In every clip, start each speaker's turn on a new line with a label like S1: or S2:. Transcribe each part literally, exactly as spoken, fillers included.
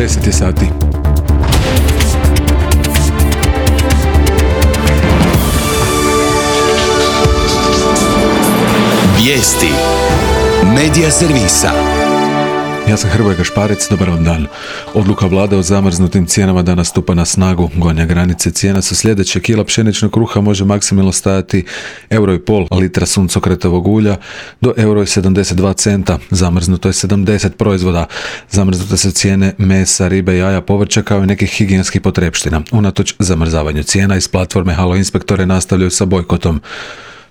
S1: deset je sati.
S2: Vijesti Medija servisa.
S1: Ja sam Hrvoje Gašparec, dobar vam dan. Odluka vlade o zamrznutim cijenama danas stupa na snagu. Gornje granice cijena su sljedeće: kila pšeničnog kruha može maksimalno stajati euro i pol, litra suncokretovog ulja do euro i sedamdeset dva centa. Zamrznuto je sedamdeset proizvoda. Zamrznute su cijene mesa, ribe, jaja, povrća kao i nekih higijenskih potrepština. Unatoč zamrzavanju cijena iz platforme Halo inspektore nastavljaju sa bojkotom.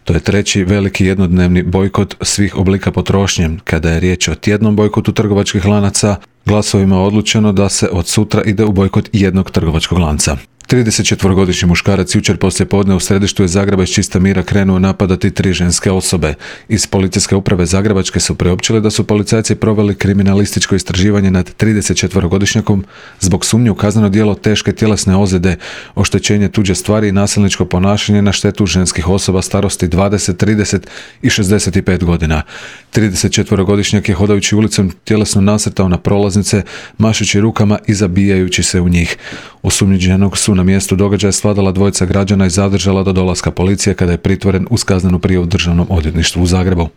S1: To je treći veliki jednodnevni bojkot svih oblika potrošnje. Kada je riječ o tjednom bojkotu trgovačkih lanaca, glasovima je odlučeno da se od sutra ide u bojkot jednog trgovačkog lanca. tridesetčetvorogodišnji muškarac jučer poslije podne u središtu je Zagreba iz čista mira krenuo napadati tri ženske osobe. Iz policijske uprave Zagrebačke su priopćili da su policajci proveli kriminalističko istraživanje nad tridesetčetvorogodišnjakom zbog sumnje u kazneno djelo teške tjelesne ozljede, oštećenje tuđe stvari i nasilničko ponašanje na štetu ženskih osoba starosti dvadeset, trideset i šezdeset pet godina. tridesetčetvorogodišnjak je hodajući ulicom tjelesno nasrtao na prolaznice, mašući rukama i zabijajući se u njih. Osumnjičenog su na mjestu događaja svladala dvojica građana i zadržala do dolaska policije kada je pritvoren uz kaznenu prijavu Državnom odvjetništvu u Zagrebu.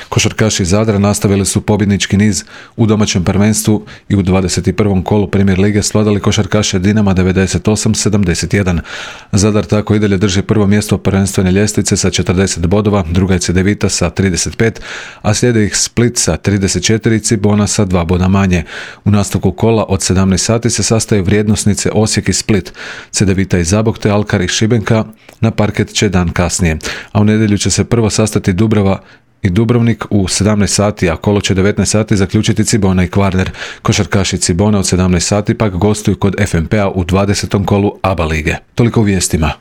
S1: Košarkaši iz Zadra nastavili su pobjednički niz u domaćem prvenstvu i u dvadeset prvom kolu Premier lige svladali košarkaše Dinama devedeset osam sedamdeset jedan. Zadar tako i dalje drži prvo mjesto prvenstvene ljestvice sa četrdeset bodova, druga je Cedevita sa trideset pet, a slijede ih Split sa trideset četiri i Cibona sa dva boda manje. U nastavku kola od sedamnaest sati se sastaju vrijednosnice Osijek i Split. Cedevita i Zabok te Alkar i Šibenka na parket će dan kasnije, a u nedjelju će se prvo sastati Dubrava i Dubrovnik u sedamnaest sati, a kolo će devetnaest sati zaključiti Cibona i Kvarner. Košarkaši Cibona od sedamnaest sati pak gostuju kod F M P-a u dvadesetom kolu A B A lige. Toliko u vijestima.